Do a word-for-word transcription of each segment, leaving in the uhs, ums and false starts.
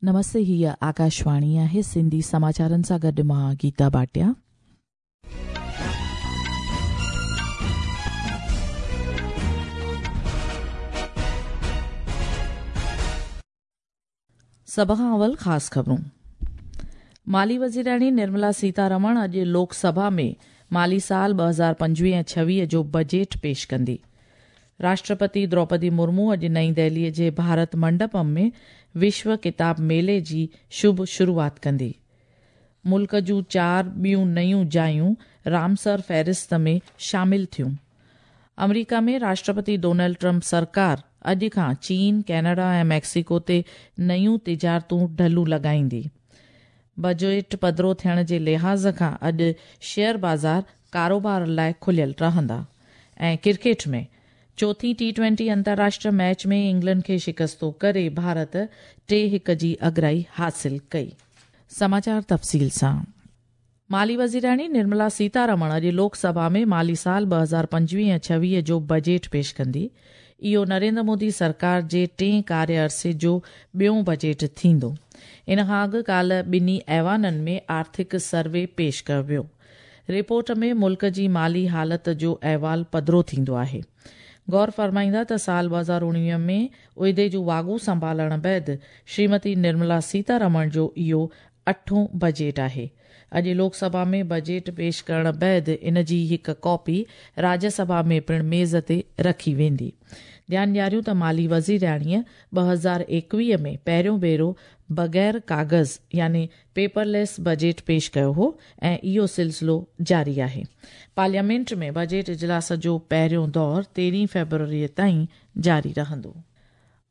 नमस्ते, हीअ आकाशवाणी आहे। सिंधी समाचारनि सां गॾु मां गीता भाटिया। सभ खां अवल ख़ासि ख़बरूं। माली वज़ीराणी निर्मला सीतारमण अॼु लोकसभा में माली साल ॿ हज़ार पंजवीह ऐं छवीह जो बजट पेश कंदी। राष्ट्रपति द्रौपदी मुर्मू अॼु नई दिल्लीअ जे भारत मंडपम में विश्व किताब मेले जी शुभ शुरूआत कंदी। मुल्क जूं चारि ॿियूं नयूं जायूं रामसर फ़हरिस्त में शामिल थियूं। अमरीका में राष्ट्रपति डोनाल्ड ट्रंप सरकार अॼु खां चीन, कनाडा ऐं मैक्सिको ते नयूं तिजारतूं ढलूं लॻाईंदी। बजट पधरो थियण जे लिहाज़ खां अॼु शेयर बाज़ार कारोबार लाइ खुलियल रहंदा। ऐं क्रिकेट में चौथी टी ट्वेंटी अंतर्राष्ट्रीय मैच में इंग्लैंड खे शिकस्तो करे भारत टे हिक जी अगराई हासिल कई। समाचार तफ़सील सां। माली वज़ीराणी निर्मला सीतारमण अॼु लोकसभा में माली साल ॿ हज़ार पंजवीह ऐं छवीह जो बजट पेश कंदी। इहो नरेंद्र मोदी सरकार जे टे कार्य अरसे जो ॿियो बजट थींदो। इन खां अॻु काल्ह ॿिन्ही ऐवाननि में आर्थिक सर्वे पेश कयो वियो। रिपोर्ट में मुल्क जी माली हालत जो अहवाल पधरो थींदो आहे। गौर फरमाईंदा त साल ॿ हज़ार उणिवीह में उहिदे जूं वाॻूं संभालण बाद श्रीमती निर्मला सीतारमण जो इहो अठों बजट आहे। अॼु लोकसभा में बजट पेश करण बाद इन जी हिकु कॉपी राज्यसभा में पिणु मेज़ ते रखी वेंदी। ध्यानु ॾियारियूं त माली वज़ीराणीअ ॿ हज़ार एकवीह में पहिरियों भेरो बग़ैर कागज़ यानी पेपरलेस बजट पेश कयो हो ऐं इहो सिलसिलो जारी आहे। पार्लियामेंट में बजट इजलास जो पहिरियों दौर तेरहीं फ़ेब्रुअरीअ ताईं जारी रहंदो।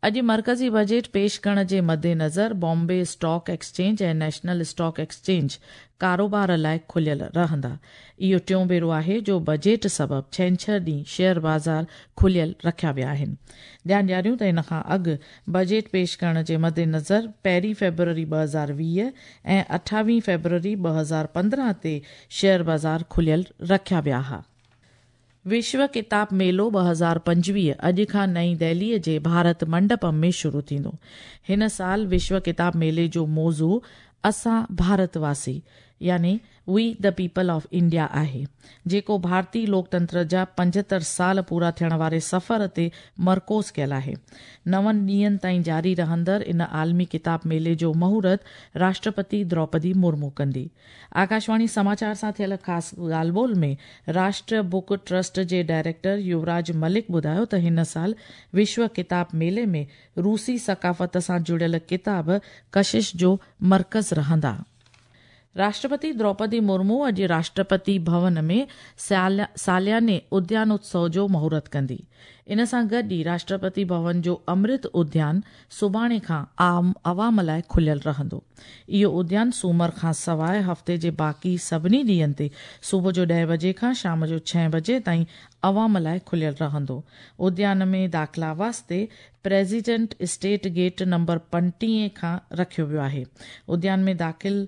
अॼु मर्कज़ी बजट पेश करण जे मद्देनज़र बॉम्बे स्टॉक एक्सचेंज ऐं नेशनल स्टॉक एक्सचेंज कारोबार लाइ खुलियल रहंदा। इहो टियों भेरो आहे जो बजट सबबु छेंछर ॾींहुं शेयर बाज़ार खुलियल रखिया विया आहिनि। ध्यानु ॾियारियूं त इन खां अॻु बजट पेश करण जे मद्देनज़र पहिरीं फ़ेब्रुअरी ॿ हज़ार वीह ऐं अठावीह फ़ेब्रुअरी ॿ हज़ार पंद्रहं ते शेयर बाज़ार खुलियल रखिया विया हुआ। विश्व किताब मेलो ॿ हज़ार पंजवीह अॼु खां नई दिल्लीअ जे भारत मंडपम में शुरू थींदो। हिन साल विश्व किताब मेले जो मौज़ू असां भारतवासी यानी we the people of India आहे, जेको भारतीय लोकतंत्र जा पंजहतरि साल पूरा थियण वारे सफ़र ते मरकोज़ कयल आहे। नवनि ॾींहंनि ताईं जारी रहंदड़ इन आलमी किताब मेले जो मुहूर्त राष्ट्रपति द्रौपदी मुर्मू कंदी। आकाशवाणी समाचार सां थियल ख़ासि ॻाल्हि ॿोल में राष्ट्रीय बुक ट्रस्ट जे डायरेक्टर युवराज मलिक ॿुधायो त हिन साल विश्व किताब मेले में रूसी सकाफ़त सां जुड़ियल किताब कशिश जो मर्कज़ रहंदा। राष्ट्रपति द्रौपदी मुर्मू अॼु राष्ट्रपति भवन में सालियाने उद्यान उत्सव जो मुहूर्त कंदी। इन सां गॾु ई राष्ट्रपति भवन जो अमृत उद्यान सुभाणे खां आम अवाम लाइ खुलियल रहंदो। इहो उद्यान सूमर खां सवाइ हफ़्ते जे बाक़ी सभिनी ॾींहंनि ते सुबुह जो ॾह बजे खां शाम जो छह बजे ताईं अवाम लाइ खुलियल रहंदो। उद्यान में दाख़िला वास्ते प्रेसिडेंट स्टेट गेट नंबर पंटीह खां रखियो वियो आहे। उद्यान में दाख़िल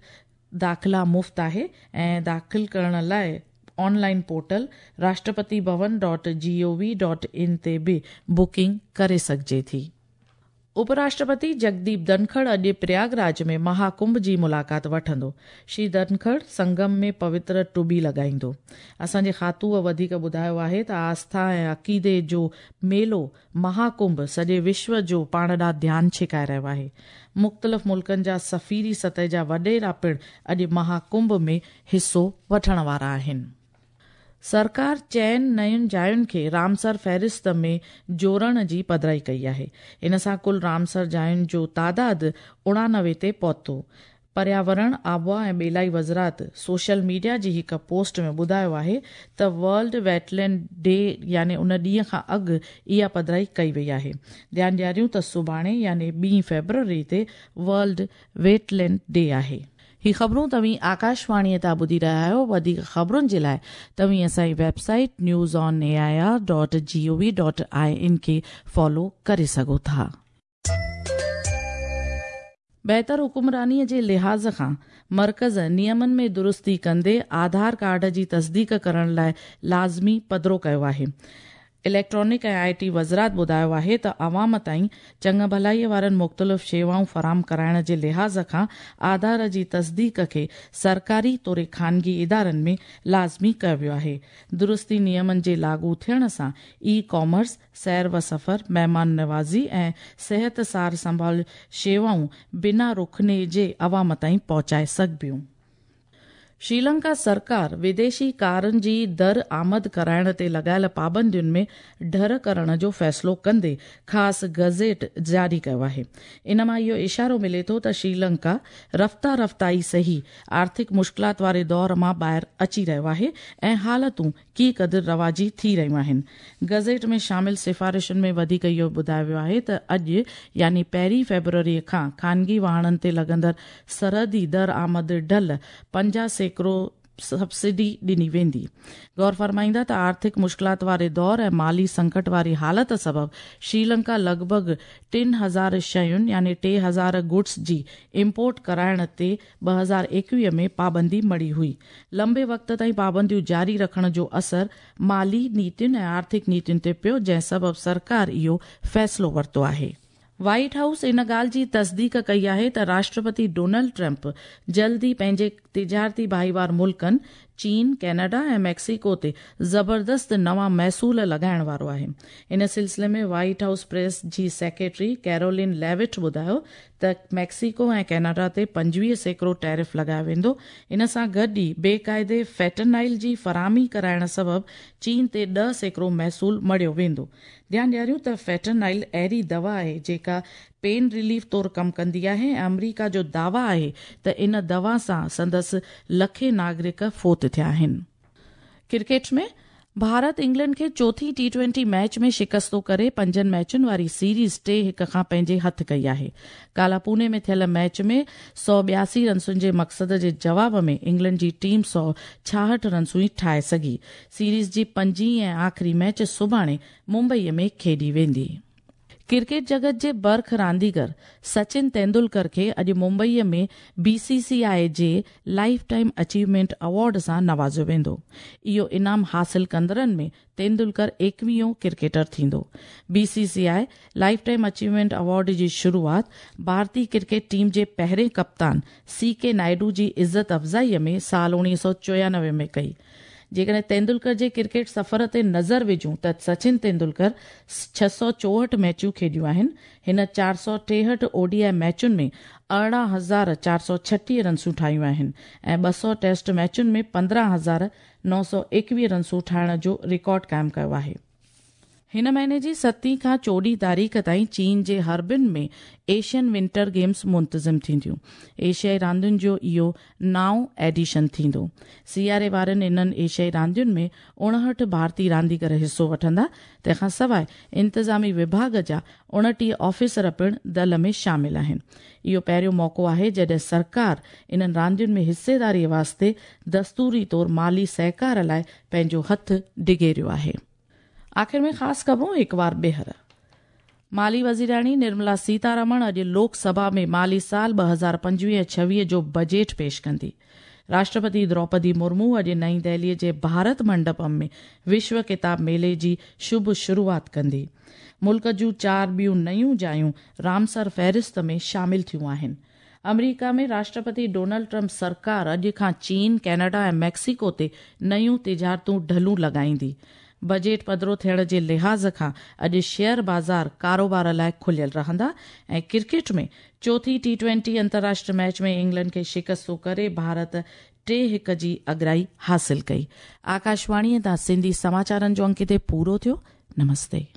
दाख़िला मुफ़्त आहे ऐं दाख़िल करण लाइ online portal Rashtrapati Bhavan dot G O V dot in ते बि बुकिंग करे सघिजे थी। उपराष्ट्रपति जगदीप धनखड़ अॼु प्रयागराज में महाकुंभ जी मुलाक़ात वठंदो। श्री धनखड़ संगम में पवित्र टुबी लॻाईंदो। असांजे खातूअ वधीक ॿुधायो आहे त आस्था ऐं अक़ीदे जो मेलो महाकुंभ सॼे विश्व जो पाण ॾांहुं ध्यानु छिकाए रहियो आहे। मुख़्तलिफ़ मुल्कनि जा सफ़ीरी सतह जा वॾेरा पिणु अॼु महाकुंभ में हिसो वठण वारा आहिनि। सरकार चइनि नयुनि जायुनि खे रामसर फ़हरिस्त में जोड़ण जी पधराई कई आहे। इन सां कुल रामसर जायुनि जो तादाद उणानवे ते पहुतो। पर्यावरण, आबहावा ऐं ॿेलाई वज़ारत सोशल मीडिया जी हिकु पोस्ट में ॿुधायो आहे त वर्ल्ड वेटलैंड डे यानी उन ॾींहं खां अॻु इहा पधराई कई वई आहे। ध्यानु ॾियारियूं त सुभाणे यानी ॿी फ़ेब्रुअरी ते वर्ल्ड वेटलैंड डे आहे। ही ख़बरूं तव्हीं आकाशवाणीअ तां ॿुधी रहिया आहियो। वधीक ख़बरुनि जे लाइ तव्हीं असांजी website news on A I R dot G O V dot I N खे फॉलो करे सघो था। बहितर हुकुमरानीअ जे लिहाज़ खां मर्कज़ नियमनि में दुरुस्ती कंदे आधार कार्ड जी तस्दीक करण लाइ लाज़मी पधरो कयो आहे। इलेक्ट्रॉनिक ऐं I T वज़ारत ॿुधायो आहे त अवाम ताईं चङा भलाईअ वारनि मुख़्तलिफ़ शेवाऊं फराहम कराइण जे लिहाज़ खां आधार जी तस्दीक खे सरकारी तोड़े ख़ानगी इदारनि में लाज़मी कयो वियो आहे। दुरुस्ती नियमनि जे लागू थियण सां ई कॉमर्स, सैर व सफ़र, महिमान नवाज़ी ऐं सिहत सार संभाल शेवाऊं बिना रुखने जे अवाम ताईं पहुचाए सघबियूं। श्रीलंका सरकार विदेशी कारनि जी दर आमद कराइण ते लॻायल पाबंदियुनि में ढर करण जो फ़ैसिलो कंदे ख़ासि गज़ेट जारी कयो आहे। इन मां इहो इशारो मिले थो त श्रीलंका रफ़्ता रफ़्ता ई सही आर्थिक मुश्किलात वारे दौर मां ॿाहिरि अची रहियो आहे ऐं हालतूं की क़दुरु रवाजी थी रहियूं आहिनि। गज़ेट में शामिल सिफारिशुनि में वधीक इहो ॿुधायो वियो आहे त अॼु यानी पहिरीं फ़ेब्रुअरी खां ख़ानगी वाहणनि ते लॻंदड़ सरहदी दर आमद ढल पंजाह सैकड़ो सब्सिडी ॾिनी वेंदी। गौर फरमाईंदा त आर्थिक मुश्किलात वारे दौर ऐं माली संकट वारी हालत सबबु श्रीलंका लॻभॻि टिनि हज़ार शयुनि यानी टे हज़ार गुड्स जी इम्पोर्ट कराइण ते ॿ हज़ार एकवीह में पाबंदी मढ़ी हुई। लंबे वक़्त ताईं पाबंदियूं जारी रखण जो असर माली नीतियुनि ऐं आर्थिक नीतियुनि ते पियो, जंहिं सबबु सरकार इहो फ़ैसिलो वरितो आहे। व्हाइट हाउस इन ॻाल्हि जी तस्दीक कई आहे त राष्ट्रपति डोनाल्ड ट्रंप जल्दी पंहिंजे तिजारती भाईवार मुल्कनि चीन, कनाडा ऐं मैक्सिको ते ज़बरदस्त नवां महसूल लॻाइण वारो आहे। इन सिलसिले में व्हाइट हाउस प्रेस जी सेक्रेटरी कैरोलिन लेविट ॿुधायो त मैक्सिको ऐं कनाडा ते पंजवीह सैकड़ो टैरिफ लॻायो वेंदो। इन सां गॾु ई बेक़ाइदे फेंटानाइल जी फराहमी कराइण सबबु चीन ते ॾह सैकड़ो महसूल मढ़ियो वेंदो। ध्यानु ॾियारियूं त फेंटानाइल अहिड़ी दवा आहे जेका पेन रिलीफ तौर कमु कंदी आहे ऐं अमरीका जो दावा आहे त इन दवा सां संदसि लखे नागरिक फोत थिया आहिनि। क्रिकेट में भारत इंग्लैंड खे चोथी टी ट्वेंटी मैच में शिकस्तो करे पंजनि मैचुनि वारी सीरीज़ टे हिक खां पंहिंजे हथ कई आहे। काला पुणे में थियल मैच में सौ ॿियासी रनसुनि जे मक़सद जे जवाब में इंग्लैंड जी टीम सौ छाहठि रनसूं ई ठाहे सघी। सीरीज़ जी पंजी ऐं आख़िरी मैच सुभाणे मुंबईअ में खेॾी वेंदी। क्रिकेट जगत जे बर्ख रांदीगर सचिन तेंदुलकर खे अॼु मुंबईअ में बी सी सी आई जे लाइफ टाइम अचीवमेंट अवॉर्ड सां नवाज़ियो वेंदो। इहो इनाम हासिल कंदड़नि में तेंदुलकर एकवीहों क्रिकेटर थींदो। B C C I lifetime achievement award जी शुरूआत भारतीय क्रिकेट टीम जे पहिरें कप्तान सी के नायडू जी इज़त अफ़ज़ाईअ में साल उणिवीह सौ चोयानवे में कई। जेकॾहिं तेंदुलकर जे क्रिकेट सफ़र ते नज़र विझूं त सचिन तेंदुलकर छह सौ चोहठि मैचूं खेॾियूं आहिनि। हिन चारि सौ टेहठि ओ डी I मैचुनि में अरिड़हं हज़ार चारि सौ छटीह रनसूं ठाहियूं आहिनि ऐं ॿ सौ टेस्ट मैचुनि में पंद्रहं हज़ार नौ सौ एकवीह रनसूं ठाहिण जो रिकॉर्ड क़ाइमु कयो आहे। हिन महीने जी सतीं खां चोॾहीं तारीख़ ताईं चीन जे हर्बिन में एशियन विंटर गेम्स मुंतज़िम थींदियूं। एशियाई रांदियुनि जो इहो नाओं एडिशन थींदो। सियारे वारनि इन्हनि एशियाई रांदियुनि में उणहठि भारतीय रांदीगर हिसो वठंदा। तंहिंखां सवाइ इंतिज़ामी विभाग जा उणटीह ऑफिसर पिणु दल में शामिल आहिनि। इहो पहिरियों मौक़ो आहे जॾहिं सरकार इन्हनि रांदियुनि में हिस्सेदारीअ वास्ते दस्तूरी तौर माली सहकार लाइ पंहिंजो हथु डिगेरियो आहे। आख़िर में ख़ासि ख़बरूं हिकु बार ॿीहर। माली वज़ीराणी निर्मला सीतारमण अॼु लोकसभा में माली साल ॿ हज़ार पंजवीह छवीह जो बजट पेश कंदी। राष्ट्रपति द्रौपदी मुर्मू अॼु नई दिल्लीअ जे भारत मंडपम में विश्व किताब मेले जी शुभ शुरूआत कंदी। मुल्क जूं चारि ॿियूं नयूं जायूं रामसर फ़हरिस्त में शामिल थियूं आहिनि। अमरीका में राष्ट्रपति डोनाल्ड ट्रंप सरकार अॼु खां चीन, कनाडा ऐं मैक्सिको ते नयूं तिजारतूं ढलूं लॻाईंदी। बजट पधरो थियण जे लिहाज़ खां अॼु शेयर बाज़ार कारोबार लाइ खुलियल रहंदा। ऐं क्रिकेट में चोथी टी ट्वेंटी अंतर्राष्ट्रीय मैच में इंग्लैंड खे शिकस्तो करे भारत टे हिक जी अगराई हासिल कई। आकाशवाणीअ तां सिंधी समाचारनि जो अंक हिते पूरो थियो। नमस्ते।